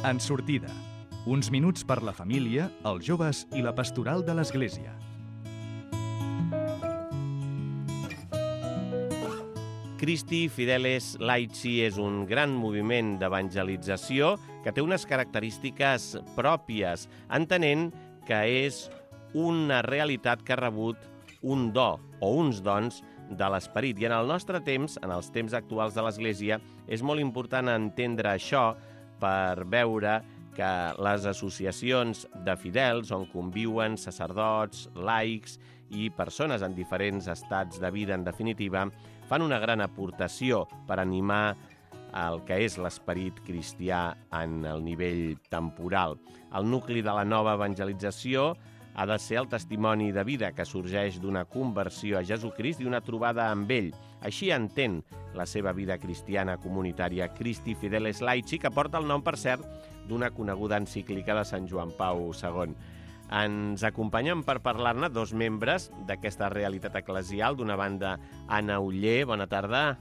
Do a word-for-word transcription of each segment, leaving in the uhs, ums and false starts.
En sortida. Uns minuts per la família, els joves i la pastoral de l'Església. Christi Fideles Laici és un gran moviment d'evangelització que té unes característiques pròpies, entenent que és una realitat que ha rebut un do o uns dons de l'esperit. I en el nostre temps, en els temps actuals de l'Església, és molt important entendre això per veure que les associacions de fidels on conviuen sacerdots, laics i persones en diferents estats de vida, en definitiva, fan una gran aportació per animar el que és l'esperit cristià en el nivell temporal. El nucli de la nova evangelització ha de ser el testimoni de vida que sorgeix d'una conversió a Jesucrist i una trobada amb ell. Així entén la seva vida cristiana comunitària Christi Fideles Laici, que porta el nom, per cert, d'una coneguda encíclica de Sant Joan Pau segon. Ens acompanyen per parlar-ne dos membres d'aquesta realitat eclesial. D'una banda, Anna Oller, bona tarda.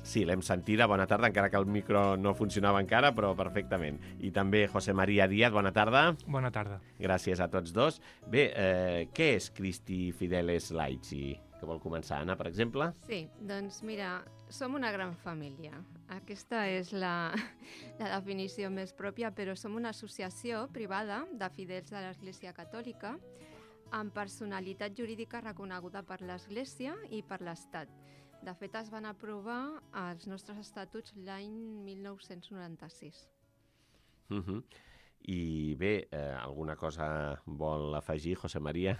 Sí, l'hem sentida, bona tarda, encara que el micro no funcionava encara, però perfectament. I també José María Díaz, bona tarda. Bona tarda. Gràcies a tots dos. Bé, eh, què és Christi Fideles Laici? Que vol començar, Anna, per exemple? Sí, doncs mira, som una gran família. Aquesta és la, la definició més pròpia, però som una associació privada de fidels de l'Església Catòlica amb personalitat jurídica reconeguda per l'Església i per l'Estat. De fet, es van aprovar els nostres estatuts l'any mil nou-cents noranta-sis. Uh-huh. I bé, eh, alguna cosa vol afegir, José María,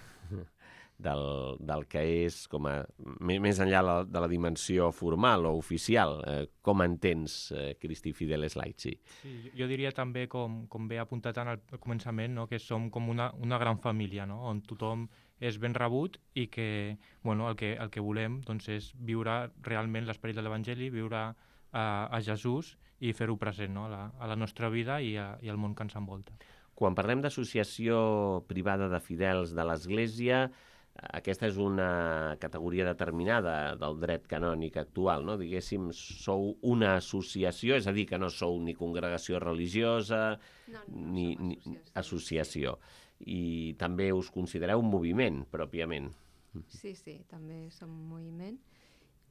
del, del que és, com a, més enllà la, de la dimensió formal o oficial, eh, com entens eh, Christi Fideles Laici? Sí, jo diria també, com, com bé apuntat en el començament, no, que som com una, una gran família, no, on tothom és ben rebut i que, bueno, el que, el que volem doncs, és viure realment l'esperit de l'Evangeli, viure a, a Jesús i fer-ho present, no, a, la, a la nostra vida i, a, i al món que ens envolta. Quan parlem d'associació privada de fidels de l'Església, aquesta és una categoria determinada del dret canònic actual, no? Diguéssim, sou una associació, és a dir, que no sou ni congregació religiosa, No, no, ni, som ni associació. associació. I també us considereu un moviment, pròpiament. Sí, sí, també som un moviment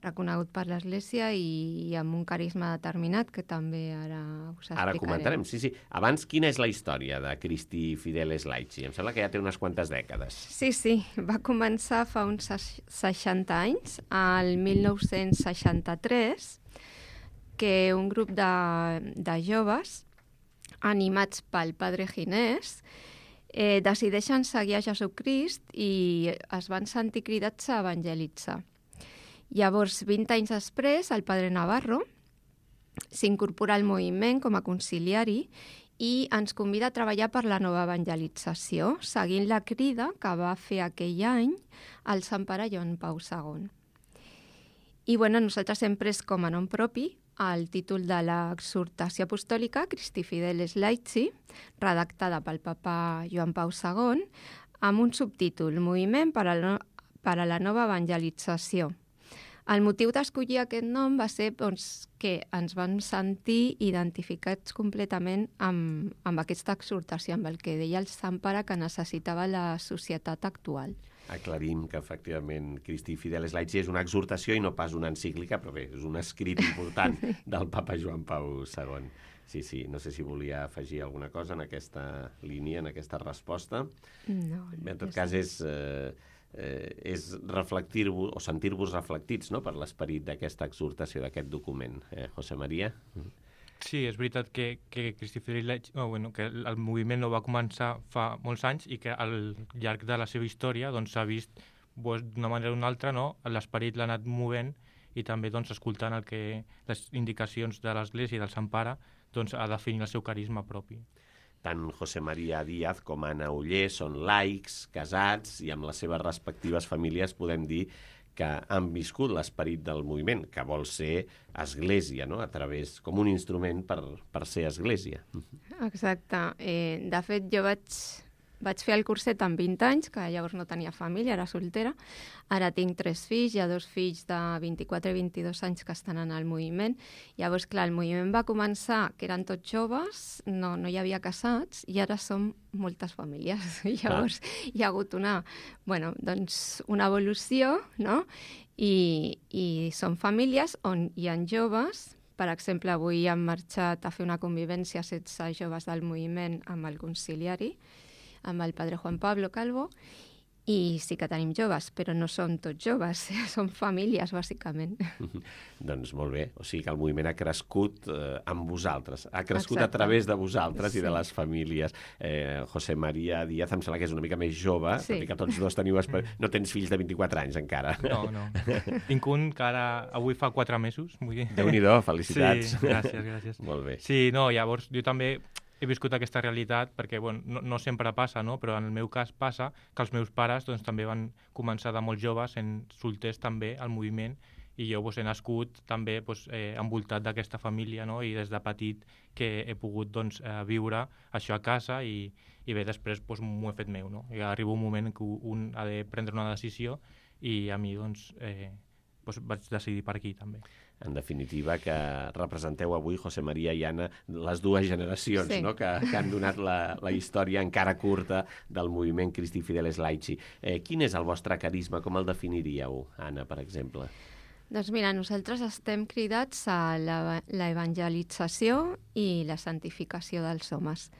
reconegut per l'Església i amb un carisma determinat que també ara us explicarem. Ara comentarem, sí, sí. Abans, quina és la història de Christi Fideles Laici? Em sembla que ja té unes quantes dècades. Sí, sí, va començar fa uns seixanta anys, al mil nou-cents seixanta-tres, que un grup de, de joves, animats pel padre Ginés, eh, decideixen seguir a Jesucrist i es van sentir cridats a evangelitzar. Llavors, vint anys després, el padre Navarro s'incorpora al moviment com a conciliari i ens convida a treballar per la nova evangelització, seguint la crida que va fer aquell any el Sant Pare Joan Pau segon. I bueno, nosaltres hem pres com a nom propi el títol de l'exhortació apostòlica Christi Fideles Laici, redactada pel papa Joan Pau segon, amb un subtítol, Moviment per a la, per a la nova evangelització. El motiu d'escollir aquest nom va ser doncs, que ens vam sentir identificats completament amb, amb aquesta exhortació, amb el que deia el Sant Pare que necessitava la societat actual. Aclarim que, efectivament, Christi Fideles Laici és una exhortació i no pas una encíclica, però bé, és un escrit important del papa Joan Pau segon. Sí, sí, no sé si volia afegir alguna cosa en aquesta línia, en aquesta resposta. No, Bé, en tot cas, és... Eh, Eh, és reflectir-vos o sentir-vos reflectits, no?, per l'esperit d'aquesta exhortació, d'aquest document. Eh, José María? Sí, és veritat que, que Christi Fideles Laici, oh, bueno, que el moviment no va començar fa molts anys i que al llarg de la seva història doncs, s'ha vist doncs, d'una manera o d'una altra, no? L'esperit l'ha anat movent i també doncs, escoltant el que, les indicacions de l'Església i del Sant Pare doncs, ha definit el seu carisma propi. Tant José María Díaz com Anna Oller són laics, casats, i amb les seves respectives famílies podem dir que han viscut l'esperit del moviment, que vol ser església, no?, a través, com un instrument per, per ser església. Exacte. Eh, de fet, jo vaig vaig fer el curset amb vint anys, que llavors no tenia família, era soltera. Ara tinc tres fills, hi ha dos fills de vint-i-quatre i vint-i-dos anys que estan en el moviment. Llavors, clar, el moviment va començar, que eren tots joves, no, no hi havia casats, i ara som moltes famílies. Llavors, ah. hi ha hagut una, bueno, doncs, una evolució, no? I, i són famílies on hi ha joves. Per exemple, avui han marxat a fer una convivència setze joves del moviment amb el conciliari, amb el padre Juan Pablo Calvo, i sí que tenim joves, però no són tots joves, són famílies, bàsicament. Doncs molt bé, o sigui que el moviment ha crescut eh, amb vosaltres, ha crescut Exacte. A través de vosaltres Sí. i de les famílies. Eh, José María Díaz em sembla que és una mica més jove, Sí. tot i que tots dos teniu... Esper... No tens fills de vint-i-quatre anys encara. No, no. Tinc un que ara, avui fa quatre mesos. Vull dir. Déu-n'hi-do, felicitats. Sí, gràcies, gràcies. Molt bé. Sí, no, llavors jo també he viscut aquesta realitat perquè bueno, no, no sempre passa, no? Però en el meu cas passa que els meus pares doncs, també van començar de molt joves, en solters també, al moviment, i jo doncs, he nascut també doncs, eh, envoltat d'aquesta família, no? I des de petit que he pogut doncs, eh, viure això a casa i, i bé, després doncs, m'ho he fet meu. No? I arriba un moment que un ha de prendre una decisió i a mi doncs, eh, doncs, vaig decidir per aquí també. En definitiva, que representeu avui, José María i Anna, les dues generacions Sí. no? que, que han donat la, la història encara curta del moviment Christi Fideles Laici. Eh, quin és el vostre carisma? Com el definiríeu, Anna, per exemple? Doncs mira, nosaltres estem cridats a la, la evangelització i la santificació dels homes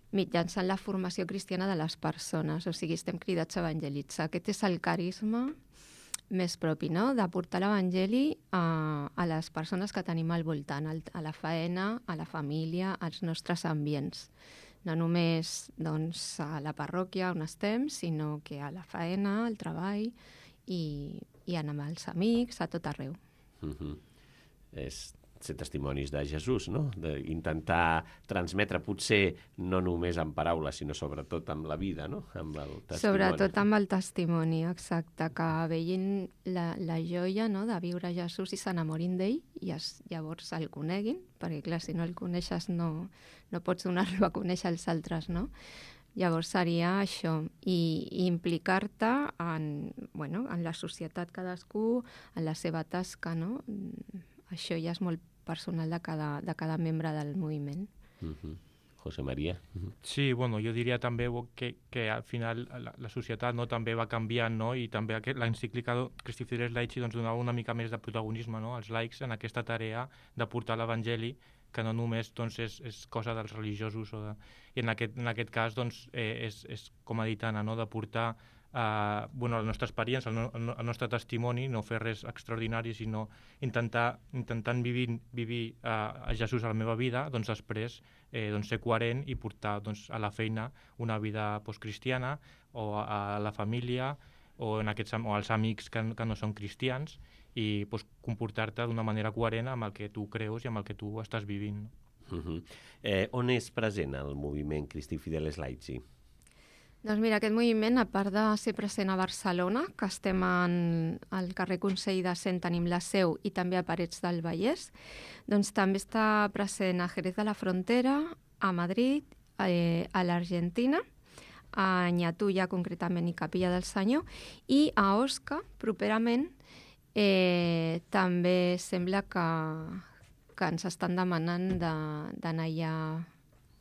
mitjançant la formació cristiana de les persones. O sigui, estem cridats a evangelitzar. Aquest és el carisma més propi, no? De portar l'evangeli a, a les persones que tenim al voltant, al, a la faena, a la família, als nostres ambients. No només doncs, a la parròquia on estem, sinó que a la faena, al treball i, i amb els amics, a tot arreu. Uh-huh. És ser testimonis de Jesús, no? D'intentar transmetre, potser no només amb paraules, sinó sobretot amb la vida, no? Amb el testimoni. Sobretot amb el testimoni, exacte, que vegin la, la joia, no?, de viure Jesús i s'enamorin d'ell i es, llavors el coneguin, perquè clar, si no el coneixes no, no pots donar-lo a conèixer als altres, no? Llavors seria això, i, i implicar-te en, bueno, en la societat cadascú, en la seva tasca, no? Això ja és molt personal de cada, de cada membre del moviment. Uh-huh. José María. Uh-huh. Sí, bueno, jo diria també que, que al final la, la societat no, també va canviant, no? I també aquest, l'encíclica Christi Fideles Laici doncs, donava una mica més de protagonisme, no?, als laics en aquesta tarea de portar l'evangeli, que no només doncs, és, és cosa dels religiosos. O de... I en aquest, en aquest cas doncs, eh, és, és, com ha dit Anna, no?, de portar Uh, bueno, la nostra experiència, el, no, el nostre testimoni, no fer res extraordinari, sinó intentar, intentant vivir, vivir uh, a Jesús a la meva vida, doncs després eh, doncs ser coherent i portar doncs, a la feina una vida doncs, cristiana, o a, a la família, o, en aquests, o als amics que, que no són cristians, i doncs, comportar-te d'una manera coherent amb el que tu creus i amb el que tu estàs vivint. Uh-huh. eh, on és present el moviment Christi Fideles Laici? Doncs mira, aquest moviment, a part de ser present a Barcelona, que estem en, al carrer Consell de Cent, tenim la seu, i també a Parets del Vallès, doncs també està present a Jerez de la Frontera, a Madrid, eh, a l'Argentina, a Ñatulla, concretament, i Capilla del Senyor, i a Osca, properament, eh, també sembla que, que ens estan demanant d'anar allà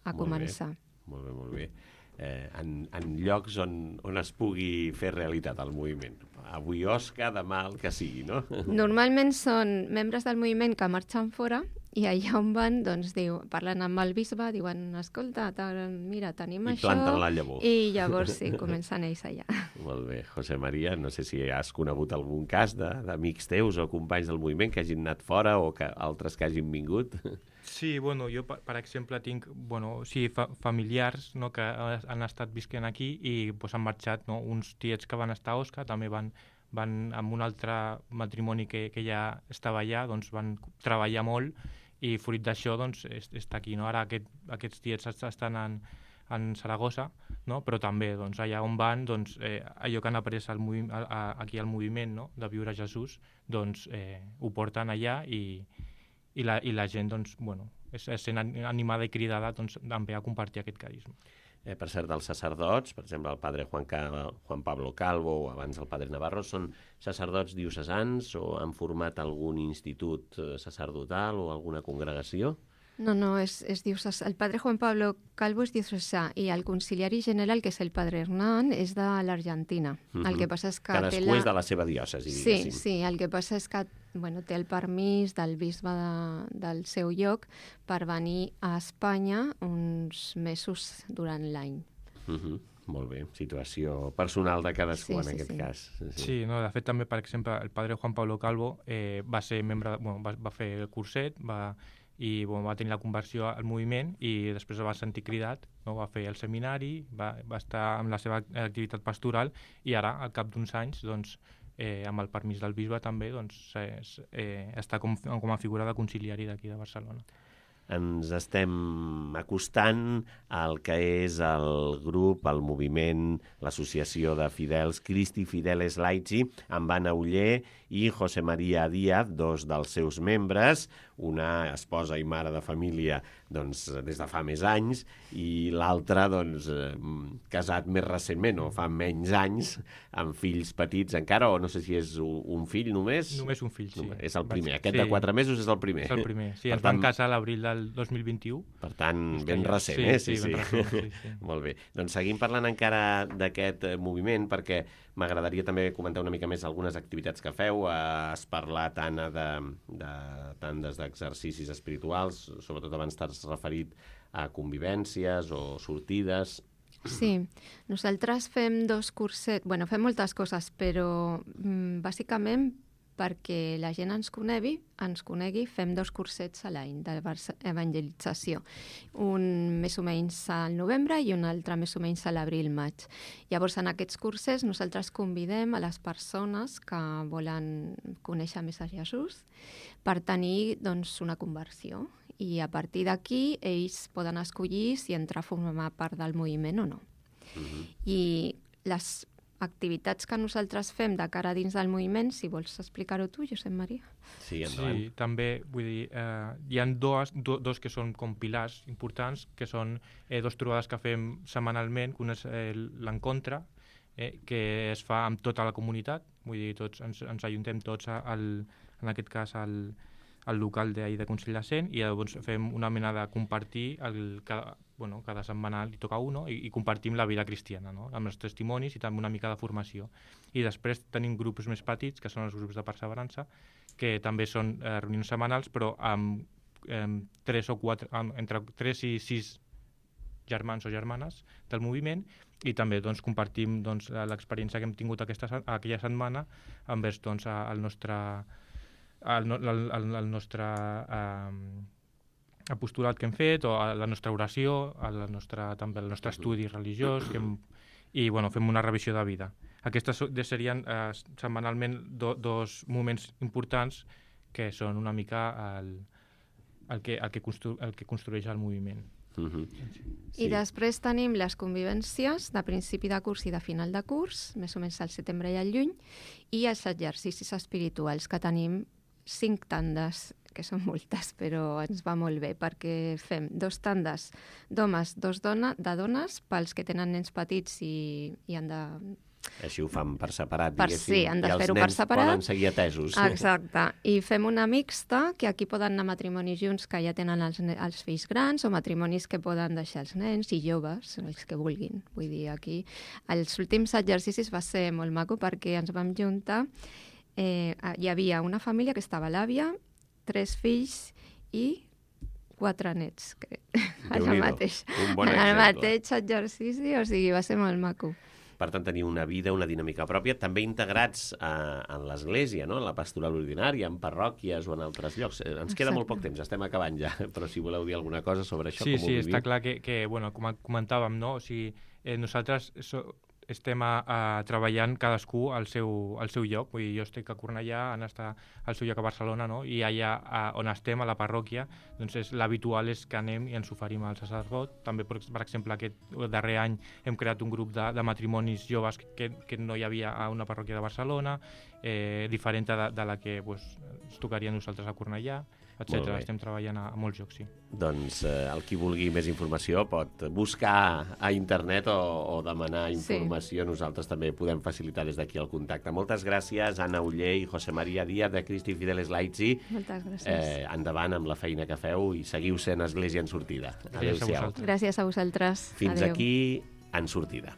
a Molt començar. Bé. Molt bé, molt bé. Eh, en, en llocs on, on es pugui fer realitat el moviment. Avui Osca, demà el que sigui, no? Normalment són membres del moviment que marxen fora i allà on van, doncs, diu, parlen amb el bisbe, diuen, escolta, mira, tenim I això... I planten la llavor. I llavors sí, comencen ells allà. Molt bé. José María, no sé si has conegut algun cas d'amics teus o companys del moviment que hagin anat fora o que altres que hagin vingut? Sí, bueno, jo, per, per exemple, tinc bueno, sí, fa, familiars no, que han estat visquent aquí i pues, han marxat, no? Uns tiets que van estar a Osca també van, van amb un altre matrimoni que, que ja estava allà, doncs van treballar molt i fruit d'això doncs, està aquí. No? Ara aquest, aquests tiets estan en, en Saragossa, no? Però també doncs, allà on van, doncs, eh, allò que han après al movi- a, a, aquí al moviment, no? De viure Jesús, doncs, eh, ho porten allà i I la, i la gent, doncs, bueno, és, és sent animada i cridada doncs, també a compartir aquest carisma. Eh, per cert, els sacerdots, per exemple, el padre Juan, Ca... Juan Pablo Calvo o abans el padre Navarro, són sacerdots diocesans o han format algun institut sacerdotal o alguna congregació? No, no, és, és diocesà. El padre Juan Pablo Calvo és diocesà i el conciliari general, que és el padre Hernán, és de l'Argentina. Uh -huh. El que passa és que... Cadascú té la... és de la seva diòcesi, sí, diguéssim. Sí, el que passa és que bueno, té el permís del bisbe de, del seu lloc per venir a Espanya uns mesos durant l'any. Uh -huh. Molt bé, situació personal de cadascú, sí, en sí, aquest sí. cas. Sí. sí, no, de fet també, per exemple, el padre Juan Pablo Calvo eh, va ser membre, de, bueno, va, va fer el curset, va, i bueno, va tenir la conversió al moviment i després va sentir cridat, no? Va fer el seminari, va, va estar amb la seva activitat pastoral i ara, al cap d'uns anys, doncs, eh, amb el permís del bisbe també, doncs, eh, eh, està com, com a figura de conciliari d'aquí de Barcelona. Ens estem acostant al que és el grup, el moviment, l'associació de fidels Christi Fideles Laici, amb Anna Oller i José María Díaz, dos dels seus membres, una esposa i mare de família doncs, des de fa més anys i l'altra doncs, casat més recentment o fa menys anys, amb fills petits encara, o no sé si és un fill només? Només un fill, sí. Només, és el primer. Aquest sí. de quatre mesos és el primer. És el primer, sí. Per Ens tant, van casar a l'abril del dos mil vint-i-u. Per tant, ben ja... recent, sí, eh? Sí, sí, sí. Ben recent, sí, sí. Molt bé. Doncs seguim parlant encara d'aquest moviment, perquè m'agradaria també comentar una mica més algunes activitats que feu. Has parlat, Anna, de, de tandes d'exercicis espirituals, sobretot abans t'has referit a convivències o sortides. Sí, nosaltres fem dos cursets, bueno, fem moltes coses, però mm, bàsicament perquè la gent ens conegui, ens conegui, fem dos cursets a l'any d'evangelització. Un més o menys al novembre i un altre més o menys a l'abril-maig. Llavors, en aquests curses nosaltres convidem a les persones que volen conèixer més a Jesús per tenir doncs, una conversió. I a partir d'aquí ells poden escollir si entrar a formar part del moviment o no. Uh-huh. I les activitats que nosaltres fem de cara dins del moviment, si vols explicar-ho tu, Josep Maria. Sí, endavant. Sí, també, vull dir, eh, hi ha dos, do, dos que són com pilars importants, que són eh, dos trobades que fem setmanalment, que una és eh, l'encontre, eh, que es fa amb tota la comunitat, vull dir, tots ens, ens ajuntem tots al, en aquest cas al, al local de, de Consell de Cent i llavors fem una mena de compartir el, cada, bueno, cada setmana li toca uno i, i compartim la vida cristiana, no? Amb els testimonis i també una mica de formació. I després tenim grups més petits, que són els grups de perseverança, que també són eh, reunions setmanals, però amb eh, tres o quatre, amb, entre tres i sis germans o germanes del moviment i també doncs, compartim doncs, l'experiència que hem tingut aquesta, aquella setmana envers doncs, el nostre, el, el, el, el nostre eh, apostolat que hem fet, o a la nostra oració, a la nostra, també el nostre estudi religiós, que hem, i bueno, fem una revisió de vida. Aquestes serien eh, setmanalment do, dos moments importants que són una mica el, el, que, el, que, constru, el que construeix el moviment. Uh-huh. Sí. I després tenim les convivències de principi de curs i de final de curs, més o menys al setembre i al juny, i els exercicis espirituals, que tenim cinc tandes, que són moltes, però ens va molt bé, perquè fem dos tandes d'homes, dos dona, de dones, pels que tenen nens petits i, i han de... Així ho fan per separat, per, diguéssim. sí, han de fer-ho per separat. I els nens poden seguir atesos. Exacte. I fem una mixta, que aquí poden anar matrimonis junts que ja tenen els, els fills grans, o matrimonis que poden deixar els nens i joves, els que vulguin. Vull dir, aquí... Els últims exercicis va ser molt maco perquè ens vam juntar. Eh, hi havia una família que estava l'àvia, tres fills i quatre nets. Que... en el mateix, un bon en el exemple. mateix exercici, o sigui, va ser molt maco. Per tant, tenir una vida, una dinàmica pròpia, també integrats eh, en l'Església, no? En la pastoral ordinària, en parròquies o en altres llocs. Eh, ens queda Exacte. molt poc temps, estem acabant ja, però si voleu dir alguna cosa sobre això, sí, com ho sí, viviu. està clar que, que bueno, com comentàvem, no? O sigui, eh, nosaltres so, estem a, a treballant cadascú al seu, al seu lloc. Vull dir, jo estic a Cornellà, Anna està al seu lloc a Barcelona, no? I allà a, on estem, a la parròquia, doncs és, l'habitual és que anem i ens oferim al sacerdot. També, per, per exemple, aquest darrer any hem creat un grup de, de matrimonis joves que, que no hi havia a una parròquia de Barcelona, eh, diferent de, de la que pues, ens tocaria a nosaltres a Cornellà. etcètera. Estem treballant a, a molts jocs, sí. Doncs eh, el qui vulgui més informació pot buscar a internet o, o demanar informació. Sí. Nosaltres també podem facilitar des d'aquí el contacte. Moltes gràcies, Anna Oller i José María Díaz, de Cristi Fideles Laity. Moltes gràcies. Eh, endavant amb la feina que feu i seguiu sent Església en sortida. Gràcies a vosaltres. Gràcies a vosaltres. Fins Adéu. aquí, En sortida.